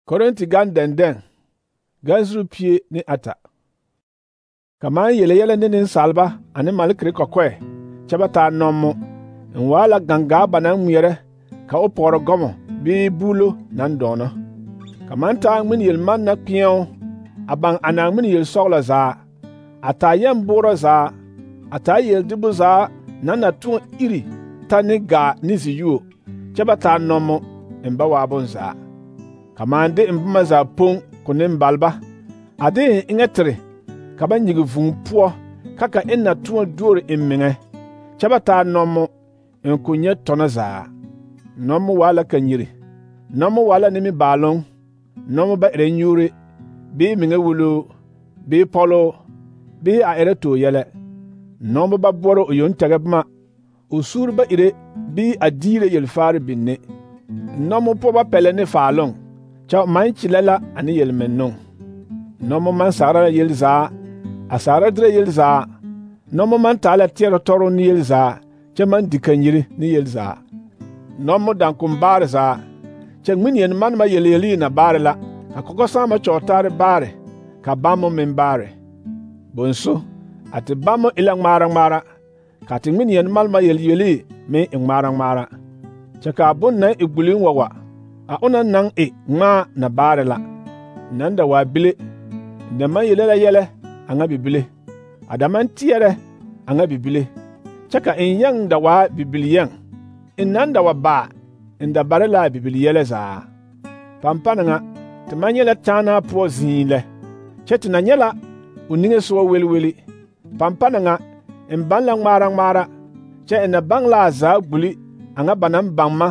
Korinti gan dɛndɛŋ ganzuru pie ne ata. Kaman yele yɛlɛ ne nensalba ane malekere kɔkɔɛ kyɛ ba taa nɔmmo, n waa la gangaa ba naŋ ŋmeɛrɛ ka o pɔgere gɔmɔ bee buulo naŋ dɔɔnɔ. Kaman taa ŋmene yel-manna kpeɛo a baŋ ana ŋmene yel-sɔgelɔ zaa, a taa yɛmboorɔ zaa, a taa yel-debo zaa naŋ na tõɔ iri ta ne gaa ne ziyuo, kyɛ ba taa nɔmmo n ba waa bonzaa. Kaman de n boma zaa poŋ ko nembalba, a de n eŋɛ tere ka ba nyigi vūū poɔ ka ka n na tõɔ duori n meŋɛ, kyɛ ba taa nɔmmo n ko nyɛ tɔnɔ zaa. Nɔmmo waa la kanyiri, nɔmmo waa la nimibaaloŋ, nɔmmo ba erɛ nyuure, bee meŋɛ wuluu, bee pɔloo, bee a erɛ too yɛlɛ. Nɔmmo ba boɔrɔ o yoŋ tɛgɛ boma, o suuri ba ire bee a diire yelfaare binne. Nɔmmo poɔ ba pɛlɛ ne faaloŋ, kyɛ o maŋ kyelɛ la ane yelmennɔŋ. Nɔmmo maŋ saara la yel zaa, a saara derɛ yel zaa. Nɔmmo maŋ taa la teɛrɛ tɔroo ne yel zaa, kyɛ maŋ di kanyiri ne yel zaa. Nɔmmo daŋkom baare zaa, kyɛ ŋmene yel-manema yelyelii na baare la, ka kɔkɔsaama kyɔɔtaare baare, ka bammo meŋ baare. Bonso, a te bammo e la ŋmaara ŋmaara, ka te ŋmene yel-manema yelyelii meŋ e ŋmaara ŋmaara. Kyɛ kaa bon naŋ e gbuliŋ wa wa, a onaŋ naŋ e ŋmaa na baare la. Naŋ da waa bile, n da maŋ yele la yɛlɛ a ŋa bibile, a da maŋ teɛrɛ a ŋa bibile, kyɛ ka n yɛŋ da waa bibil-yɛŋ. N naŋ da wa baa, n da bare la a bibil-yɛlɛ zaa. Pampana ŋa, te maŋ nyɛ la kyaanaa poɔ zĩi lɛ, kyɛ te na nyɛ la o niŋesogɔ weli-weli. Pampana ŋa, n baŋ la ŋmaara ŋmaara, kyɛ n na baŋ la a zaa gbuli a ŋa ba naŋ baŋ ma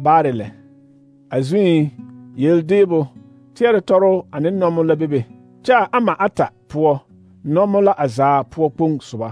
baare lɛ. A zuŋ, yel-deebo, teɛrɛ tɔroo ane nɔmmo la bebe, kyɛ a ama ata poɔ, nɔmmo la a zaa poɔ kpoŋ soba.